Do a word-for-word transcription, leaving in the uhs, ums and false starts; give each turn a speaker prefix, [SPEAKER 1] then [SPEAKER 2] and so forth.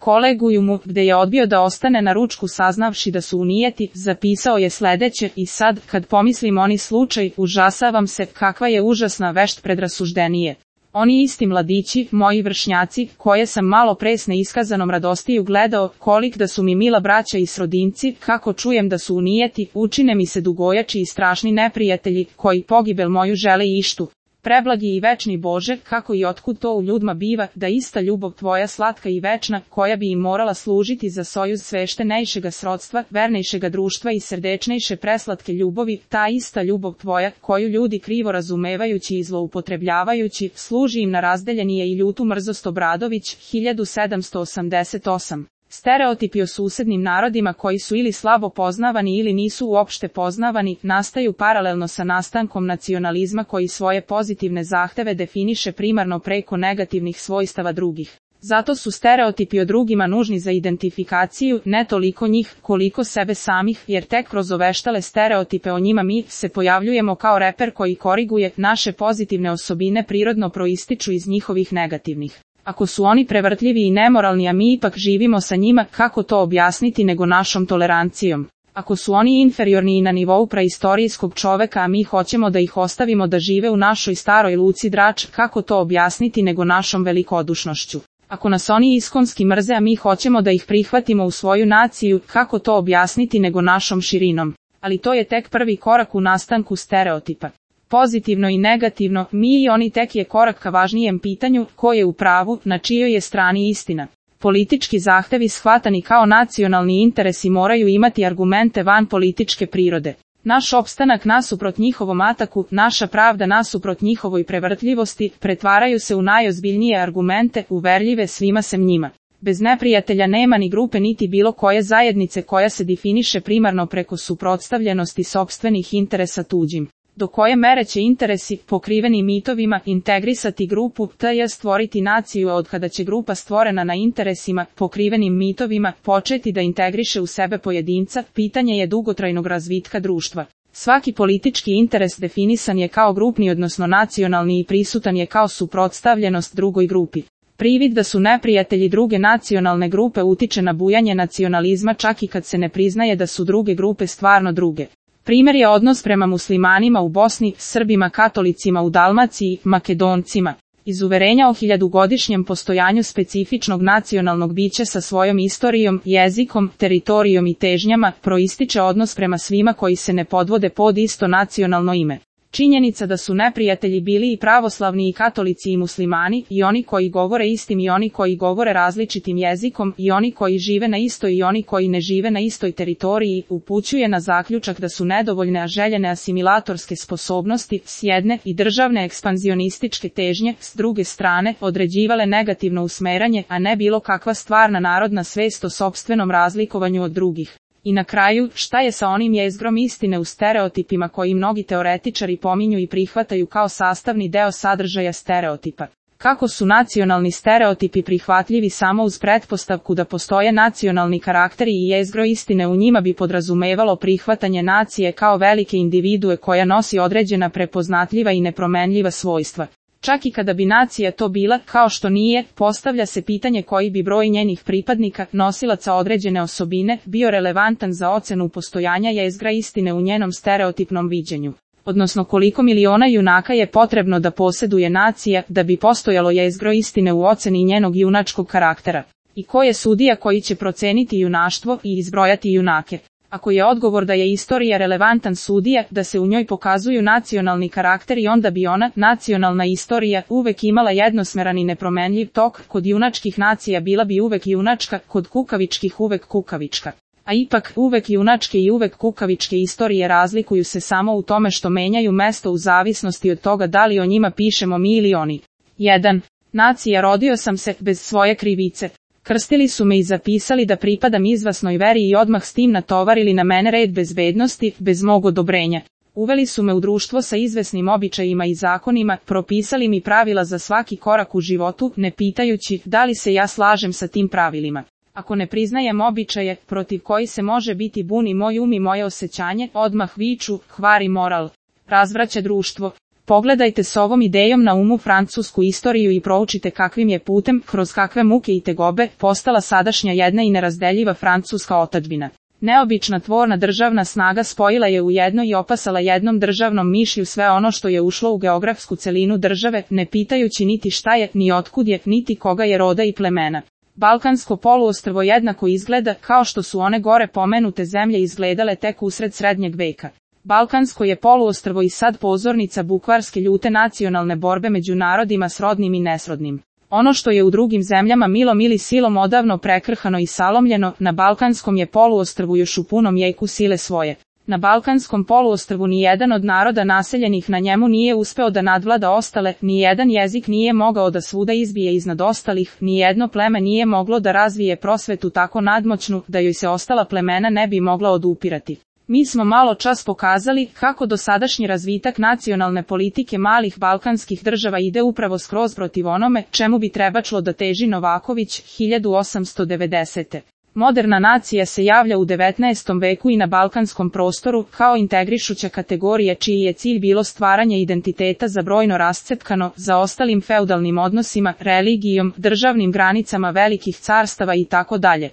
[SPEAKER 1] kolegijumu, gde je odbio da ostane na ručku saznavši da su unijeti, zapisao je sledeće: i sad, kad pomislim oni slučaj, užasavam se, kakva je užasna vešt predrasuđenije. Oni isti mladići, moji vršnjaci, koje sam malo pre s neiskazanom radostiju gledao, kolik da su mi mila braća i srodinci, kako čujem da su unijeti, učine mi se dugojači i strašni neprijatelji, koji pogibel moju žele i ištu. Preblagi i večni Bože, kako i otkud to u ljudma biva, da ista ljubav tvoja slatka i večna, koja bi im morala služiti za sojuz sveštenejšega srodstva, vernejšega društva i srdečnejše preslatke ljubavi, ta ista ljubav tvoja, koju ljudi krivo razumevajući i zloupotrebljavajući, služi im na razdeljenije i ljutu mrzost. Obradović, hiljadu sedamsto osamdeset osam. Stereotipi o susednim narodima koji su ili slabo poznavani ili nisu uopšte poznavani, nastaju paralelno sa nastankom nacionalizma koji svoje pozitivne zahteve definiše primarno preko negativnih svojstava drugih. Zato su stereotipi o drugima nužni za identifikaciju, ne toliko njih, koliko sebe samih, jer tek kroz oveštale stereotipe o njima mi se pojavljujemo kao reper koji koriguje naše pozitivne osobine prirodno proističu iz njihovih negativnih. Ako su oni prevrtljivi i nemoralni, a mi ipak živimo sa njima, kako to objasniti nego našom tolerancijom? Ako su oni inferiorni i na nivou praistorijskog čoveka, a mi hoćemo da ih ostavimo da žive u našoj staroj luci Drač, kako to objasniti nego našom velikodušnošću? Ako nas oni iskonski mrze, a mi hoćemo da ih prihvatimo u svoju naciju, kako to objasniti nego našom širinom? Ali to je tek prvi korak u nastanku stereotipa. Pozitivno i negativno, mi i oni tek je korak ka važnijem pitanju, ko je u pravu, na čijoj je strani istina. Politički zahtevi shvatani kao nacionalni interesi moraju imati argumente van političke prirode. Naš opstanak nasuprot njihovom ataku, naša pravda nasuprot njihovoj prevrtljivosti, pretvaraju se u najozbiljnije argumente, uverljive svima sem njima. Bez neprijatelja nema ni grupe niti bilo koje zajednice koja se definiše primarno preko suprotstavljenosti sopstvenih interesa tuđim. Do koje mere će interesi, pokriveni mitovima, integrisati grupu, to je stvoriti naciju, od kada će grupa stvorena na interesima, pokrivenim mitovima, početi da integriše u sebe pojedinca, pitanje je dugotrajnog razvitka društva. Svaki politički interes definisan je kao grupni odnosno nacionalni i prisutan je kao suprotstavljenost drugoj grupi. Privid da su neprijatelji druge nacionalne grupe utiče na bujanje nacionalizma čak i kad se ne priznaje da su druge grupe stvarno druge. Primjer je odnos prema muslimanima u Bosni, Srbima, katolicima u Dalmaciji, Makedoncima. Iz uverenja o hiljadugodišnjem postojanju specifičnog nacionalnog bića sa svojom istorijom, jezikom, teritorijom i težnjama, proističe odnos prema svima koji se ne podvode pod isto nacionalno ime. Činjenica da su neprijatelji bili i pravoslavni i katolici i muslimani, i oni koji govore istim i oni koji govore različitim jezikom, i oni koji žive na istoj i oni koji ne žive na istoj teritoriji, upućuje na zaključak da su nedovoljne a željene asimilatorske sposobnosti, s jedne, i državne ekspanzionističke težnje, s druge strane, određivale negativno usmeranje, a ne bilo kakva stvarna narodna svest o sopstvenom razlikovanju od drugih. I na kraju, šta je sa onim jezgrom istine u stereotipima koji mnogi teoretičari pominju i prihvataju kao sastavni deo sadržaja stereotipa? Kako su nacionalni stereotipi prihvatljivi samo uz pretpostavku da postoje nacionalni karakteri i jezgro istine u njima bi podrazumevalo prihvatanje nacije kao velike individue koja nosi određena prepoznatljiva i nepromenljiva svojstva. Čak i kada bi nacija to bila, kao što nije, postavlja se pitanje koji bi broj njenih pripadnika, nosilaca određene osobine, bio relevantan za ocenu postojanja jezgra istine u njenom stereotipnom viđenju. Odnosno koliko miliona junaka je potrebno da posjeduje nacija, da bi postojalo jezgro istine u oceni njenog junačkog karaktera. I ko je sudija koji će proceniti junaštvo i izbrojati junake? Ako je odgovor da je istorija relevantan sudija, da se u njoj pokazuju nacionalni karakteri, onda bi ona, nacionalna istorija, uvek imala jednosmeran i nepromenljiv tok, kod junačkih nacija bila bi uvek junačka, kod kukavičkih uvek kukavička. A ipak, uvek junačke i uvek kukavičke istorije razlikuju se samo u tome što menjaju mesto u zavisnosti od toga da li o njima pišemo mi ili oni. jedan. Nacija rodio sam se, bez svoje krivice. Krstili su me i zapisali da pripadam izvasnoj veri i odmah s tim natovarili na mene red bezbednosti, bez mog odobrenja. Uveli su me u društvo sa izvesnim običajima i zakonima, propisali mi pravila za svaki korak u životu, ne pitajući da li se ja slažem sa tim pravilima. Ako ne priznajem običaje, protiv koji se može biti buni moj um i moje osjećanje, odmah viču, kvari moral, razvraća društvo. Pogledajte s ovom idejom na umu francusku istoriju i proučite kakvim je putem, kroz kakve muke i tegobe, postala sadašnja jedna i nerazdeljiva francuska otadžbina. Neobična tvorna državna snaga spojila je u jedno i opasala jednom državnom mišlju sve ono što je ušlo u geografsku celinu države, ne pitajući niti šta je, ni otkud je, niti koga je roda i plemena. Balkansko poluostrvo jednako izgleda kao što su one gore pomenute zemlje izgledale tek usred srednjeg veka. Balkansko je poluostrvo i sad pozornica bukvarske ljute nacionalne borbe među narodima srodnim i nesrodnim. Ono što je u drugim zemljama milom ili silom odavno prekrhano i salomljeno, na Balkanskom je poluostrvu još u punom jeku sile svoje. Na Balkanskom poluostrvu ni jedan od naroda naseljenih na njemu nije uspeo da nadvlada ostale, ni jedan jezik nije mogao da svuda izbije iznad ostalih, ni jedno pleme nije moglo da razvije prosvetu tako nadmoćnu da joj se ostala plemena ne bi mogla odupirati. Mi smo malo čas pokazali kako dosadašnji razvitak nacionalne politike malih balkanskih država ide upravo skroz protiv onome čemu bi trebačlo da teži Novaković hiljadu osamsto devedesete. Moderna nacija se javlja u devetnaestom veku i na balkanskom prostoru kao integrišuća kategorija čiji je cilj bilo stvaranje identiteta za brojno rascepkano, za ostalim feudalnim odnosima, religijom, državnim granicama velikih carstava i tako dalje.